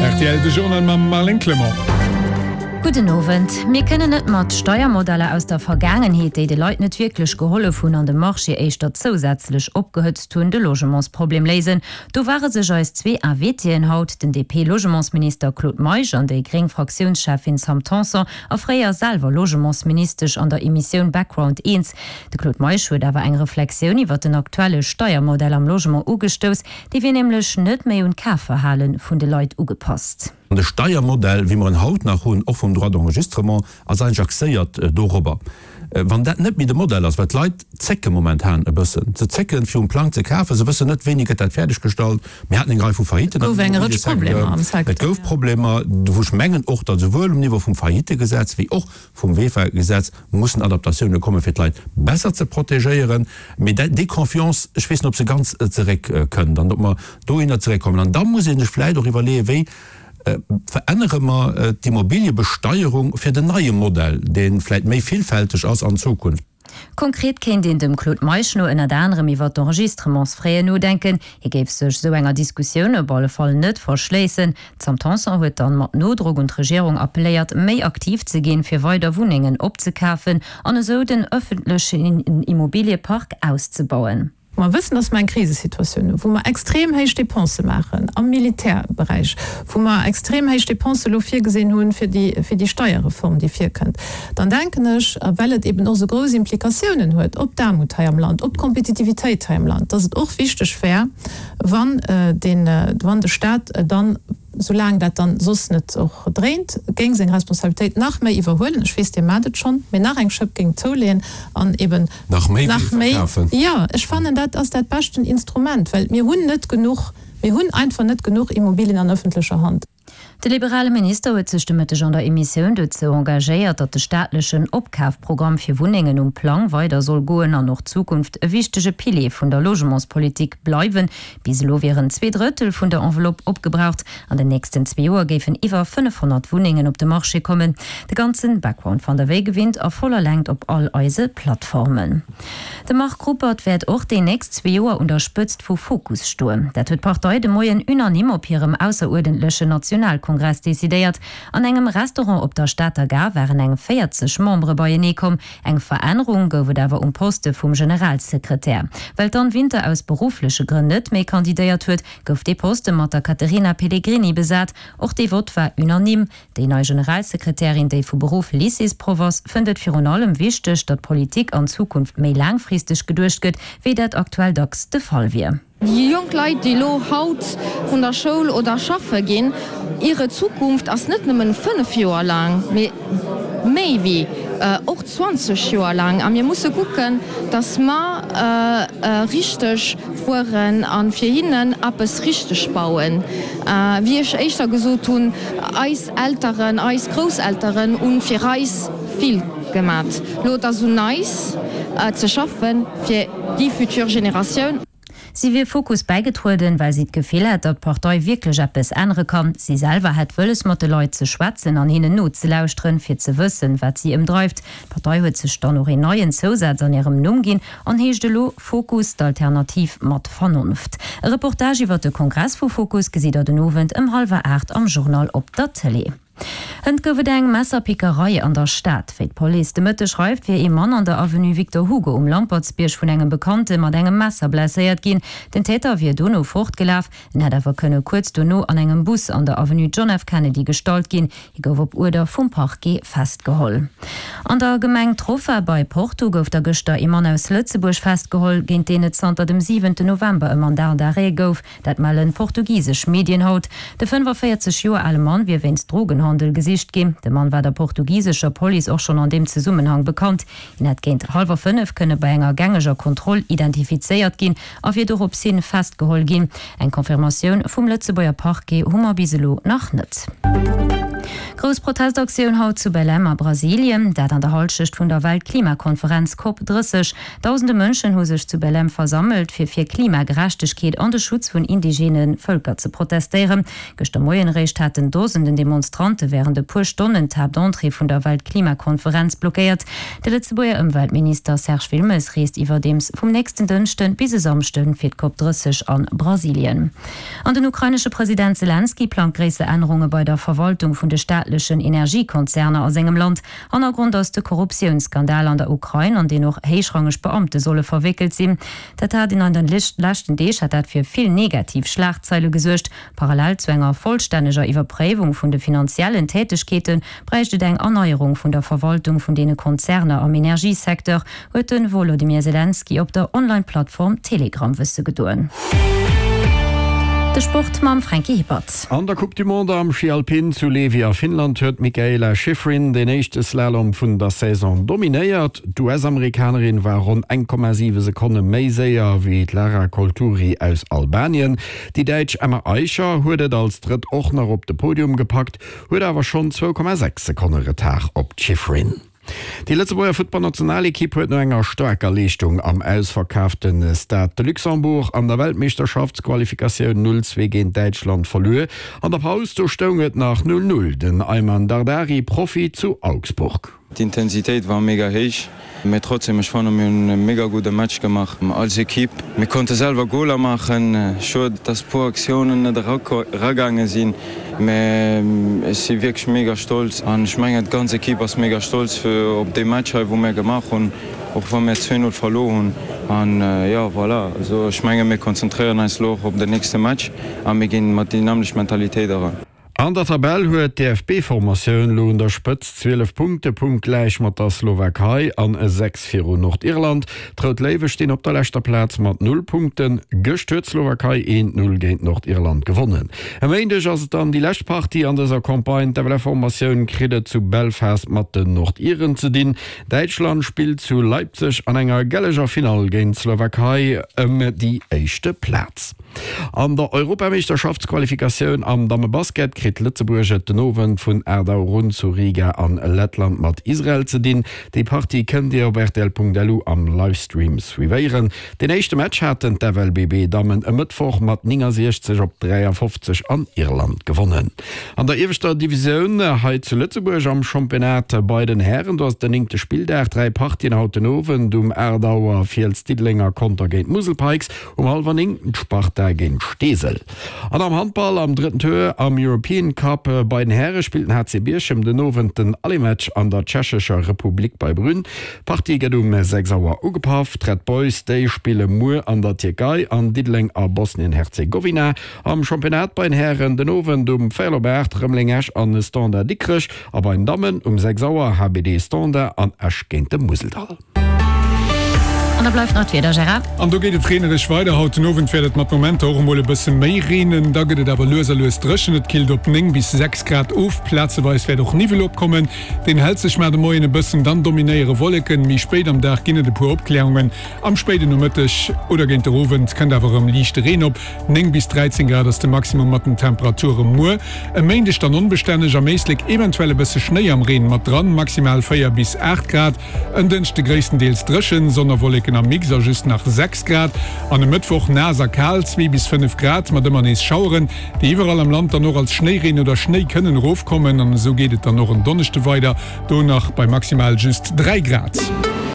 Rtl, de Journal mam Marlène Clement. Gudden Owend. Mir kënnen net mat Steiermodeller aus der Vergaangenheet, déi de Leit net wierklech gehollef hunn an de Marché éischter zousätzlech opgehëtzt hunn, de Logementsproblem léisen. Do ware sech eis zwee Invitéen haut, den DP-Logementsminister Claude Meisch an déi gréng Fraktiounscheffin Sam Tanson a fréier selwer Logementsministesch an der Emissioun Background eens. De Claude Meisch huet awer eng Reflexioun iwwer den aktuelle Steiermodell am Logement ugestouss, Dee wier nämlech net méi un d'Kafverhale vun de Leit ugepasst. An de Steiermodell, wéi mer en haut nach hunn, och vum Droit d'enregistrement, ass eigentlech axéiert dorobber. Wann dat net méi de Modell ass, well d'Leit zécke momentan e bëssen, se zécken, fir um Plang ze kafen, se wëssen net, wéini gëtt dat fäerdeggestallt. Mir haten eng Rei vu Faillitten am Immobiliësecteur. Et gouf Problemer, wou ech mengen och, datt esouwuel um Niveau vum Faillittegesetz wéi och vum VEFA-Gesetz mussen Adaptatioune kommen, fir d'Leit besser ze protegéieren. Mee déi Confiance, ech weess net, ob se ganz zeréckkënnt an ob mer dohinner zeréckkommen. An da muss ee sech vläicht och iwwerleeën, wéi verännere mer d'Immobiliëbesteierung fir den neie Modell, dee vläicht méi villfälteg ass an Zukunft. Konkret kéint een dem Claude Meisch no ënnert anerem iwwer d'Enregistrementsfraisen nodenken. Hie géif sech esou enger Diskussioun op alle Fall net verschléissen. D'Sam Tanson huet dann mat Nodrock un d'Regierung appelléiert, méi aktiv ze ginn, fir weider Wunnengen opzekafen an esou den ëffentlechen Immobiliepark auszebauen. Mer wëssen, dass mer eng Krisesituatioun hunn, wou mer extrem héich Dépensë maachen am Militärberäich, wou mer extrem héich Dépensë elo virgesinn hu fir déi, fir déi Steierreform, déi virkënnt. Dann denken ech, a well et eben och esou grouss Implikatiounen huet op d'Aarmut hei am Land, op d'Kompetitivitéit hei am Land, dass et och wichteg wär, wann den, wann de Stat dann, soulaang dat dann soss net och dréint, géing seng Responsabilitéit nach méi iwwerhuelen, ech weess, Dir maacht et schonn, mee nach eng Schëpp géing zouleeën an eben Nach méi wéi verkafen. Jo, ech fannen, dat ass dat beschten Instrument, well mir hunn net genuch, mir hunn einfach net genuch Immobilien an öffentlecher Hand. De liberale Minister huet sech de Mëtteg an der Emissioun dozou engagéiert, datt de staatlechen Opkafprogramm fir Wunnengen um Plang weider soll goen an och Zukunft e wichtege Pilier vun der Logementspolitik bleiwen. Bis elo wieren 2/3 vun der Enveloppe opgebraucht. An den nächsten zwee Joer géifen iwwer 500 Wunnengen op de Marché kommen. De ganzen Background fannt der wéi gewinnt a voller Längt op all eise Plattformen. De Marc Ruppert wäert och déi nächst zwee Joer un der Spëtzt vu Fokus stoen. Dat huet d'Partei de Moien unanime op hirem ausseruerdentlechen Nationalkongress decidéiert. An engem Restaurant op der Stater Gare waren eng 40 Membere beienee komm. Eng Verännerung gouf et awer um Poste vum Generalsekretär. Well d'Anne Winter aus beruffleche Grënn net méi kandidéiert huet, gouf dee Poste mat der Caterina Pellegrini besat. Och dee Vott war unanime. Déi nei Generalsekretärin, déi vu Beruff Lycéesproff ass, fënnt et virun allem wichteg, datt Politik an Zukunft méi laangfristeg geduecht gëtt, wéi dat aktuell dacks de Fall wier. Déi jonk Leit, déi elo haut vun der Schoul oder schaffe ginn, hire Zukunft ass net nëmmen 5 Joer laang, mee méi wéi och 20 Joer laang. A mir musse kucken, datt mer richteg fueren a fir hinnen eppes richteg bauen. Wéi ech éischter gesot hunn, eis Elteren, eis Grousselteren hu fir eis vill gemat. Elo et ass un eis ze schaffen fir déi futur Generatioun. Si wier Fokus bäigetrueden, well si d'Gefill hätt, datt d'Partei wierklech eppes ännere kann. Si selwer hätt wëlles, mat de Leit ze schwätzen an hinnen nozelauschteren, fir ze wëssen, wat si ëmdreift. D'Partei huet sech dann och een neien Zousaz an hirem Numm ginn an heescht elo Fokus, d'Alternativ mat Vernonft. E Reportage iwwer de Kongress vu Fokus gesitt der den Owend ëm hallwer 8 am Journal op der Tëlee. Hënt gouf et eng Messerpickerei an der Stad. Wéi d'Police de Mëtteg schreift, wier ee Mann an der Avenue Victor Hugo um Lampertsbierg vun engem Bekannte mat engem Messer blesséiert ginn. Den Täter wier dono fortgelaf. En hätt awer kënne kuerz dono an engem Bus an der Avenue John F. Kennedy gestallt ginn. Hie gouf op Uerder vum Parquet festgeholl. An der Gemeng Trofa bei Porto gouf da gëschter ee Mann aus Lëtzebuerg festgeholl, géint deen et zanter dem siwente November e Mandat d'arrêt gouf. Dat mellen portugisesch Medien haut. De 45 Joer ale Mann wier wéinst Drogenhandel gesicht ginn. De Mann war der portugisescher Police och schonn an deem Zesummenhang bekannt. Hien hätt géint hallwer 5 kënne bei enger gängeger Kontroll identifizéiert ginn a wier dorops hin festgeholl ginn. Eng Confirmatioun vum Lëtzebuerger Parquet hu mer bis elo nach net. Grouss Protestaktioun haut zu Belém a Brasilien, dat an der Hallschecht vun der Weltklimakonferenz Cop 30. Dausende Mënschen hu sech zu Belém versammelt, fir fir Klimagerechtegkeet an de Schutz vun indigene Vëlker ze protestéieren. Gëschter Moien eréischt haten Dosenden Demonstrante wärend e puer Stonnen d'Haaptentrée vun der Weltklimakonferenz blockéiert. De Lëtzebuerger Ëmweltminister Serge Wilmes reest iwwerdeems vum nächsten Dënschde bis e Samschde fir d'Cop 30 a Brasilien. An den ukrainesche President Selenskyj plangt gréisser Ännerunge bei der Verwaltung vun de staatlechen Energiekonzerner a sengem Land. Hannergrond ass de Korruptiounsskandal an der Ukrain, an deen och héichrangeg Beamte solle verwéckelt sinn. Dat hat an den leschten Deeg hat dat fir vill negativ Schlagzeile gesuergt. Parallel zu enger vollstänneger Iwwerpréiwung vun de finanziellen Tätegkeete bräicht et eng Erneierung vun der Verwaltung vun deene Konzerner am Energiesecteur, huet de Wolodymyr Selenskyj op der Online-Plattform Telegram wësse gedoen. De Sport mam Franky Hippert. An der Coupe du Monde am Schi Alpin zu Levi a Finnland huet d'Mikaela Shiffrin den éischte Slalom vun der Saison dominéiert. D'US-Amerikanerin war ronn 1,7 Sekonne méi séier wéi d'Lara Colturi aus Albanien. Déi Däitsch Emma Aicher huet et als Drëtt och nach op de Podium gepackt, huet awer schonn 2,6 Sekonne Retard op d'Shiffrin. Déi Lëtzebuerger Futtballnationalekipp huet no enger staarker Leeschtung am ausverkaafte Stade de Luxembourg an der Weltmeeschterschaftsqualifikatioun 0, 2 géint Däitschland verluer. An der Paus do stoung et nach 0, 0. Den Aiman Dardari Profi zu Augsburg. D'Intensitéit war mega héich, mee trotzdem, ech fannen mir hunn e mega gudde Match gemaach als Equipe. Mir konnte selwer Goler maachen, schued dass puer Aktiounen net eragaange sinn, Mä ech si wierklech mega stolz an ech mengen d'ganz Equipe ass mega stolz fir op dee Match hei wou mär gemaach hunn, och wa mär 2, 0 verluer hunn. An jo voilà, also ech menge mir konzentréieren eis elo och op den nächste Match a mir ginn mat déi nämmlecht Mentalitéit eran. An der Tabell huet d'DFB-Formatioun lo un der Spëtz 12 Punkte, punktgläich mat der Slowakei an 6 viru Nordirland. D'Rout Léiwe stinn op der leschter Plaz mat 0 Punkten. Gëscht huet d'Slowakei 1, 0 géint Nordirland gewonnen. E Méindeg ass et dann déi lescht Partie an dëser Campagne. D'FLF-Formatioun kritt et zu Belfast mat den Nordiren ze dinn. Däitschland spillt zu Leipzig an enger gelleger Finall géint d'Slowakei ëm déi éischte Plaz. An der Europameeschterschaftsqualifikatioun am Dammebasket kritt Lëtzebuerg et den Owend vun 8 Auer un zu Riga an Lettland mat Israel ze dinn. Déi Partie kënnt Dir op rtl.lu am Livestream suivéieren. Deen éischte Match haten d'FLBB-Dammen e Mëttwoch mat 69 op 53 an Irland gewonnen. An der ieweschter Divisioun hei zu Lëtzebuerg am Championnat bei den Hären, do ass et den néngte Spilldag. 3 Partien haut den Owend, Um 8 Auer Fiels Diddeleng a Conter géint d'Musel Pikes, um hallwer 9 d'Sparta géint Steesel. An am Handball am drëtten Tour am European Cup bei den Häre spillt den HC Bierchem den Owend den Allematch an der Tschechescher Republik bei Brünn. D'Partie gëtt um 6 Auer ugepaff. D'Red Boys, déi spille muer an der Tierkei an Diddeleng a Bosnien-Herzegowina. Am Championnat bei den Hären den Owend um véierel op 8 Rëmeleng-Esch an Standard Dikrech a bei den Dammen um 6 Auer HBD Standard an Esch géint de Museldall. An da bleift nach d'Wieder, Gérard. An do geet et reenereg weider. Haut den Owend wäert et mat Momenter och emol e bësse méi reenen. Da gëtt et awer lues a lues dréchen. Et killt op 9 bis 6 Grad of. Plazeweis wäert och Niwwel opkommen. Deen hält sech mar de Moien e bëssen, dann dominéiere Wolleken. Méi spéit am Dag ginn et e puer Opklärungen. Am spéiden Nomëtteg oder géint der Owend kënnt awer erëm liichte Reen op. 9 bis 13 Grad ass de Maximum mat den Temperature muer. E Méindeg dann onbestänneg, am Éislek eventuell e bësse Schnéi am Reen mat dran, maximal 4 bis 8 Grad. En Dënschde gréisstendeels dréchen, Sonn a Wolleken am Mix a just nach 6 Grad. An e Mëttwoch naass a kal, 2 bis 5 Grad mat ëmmer nees Schaueren, déi iwwerall am Land dann och als Schnéireen oder Schnéi kënnen erofkommen. An esou geet et dann och en Donneschde weider, do nach bei maximal just 3 Grad.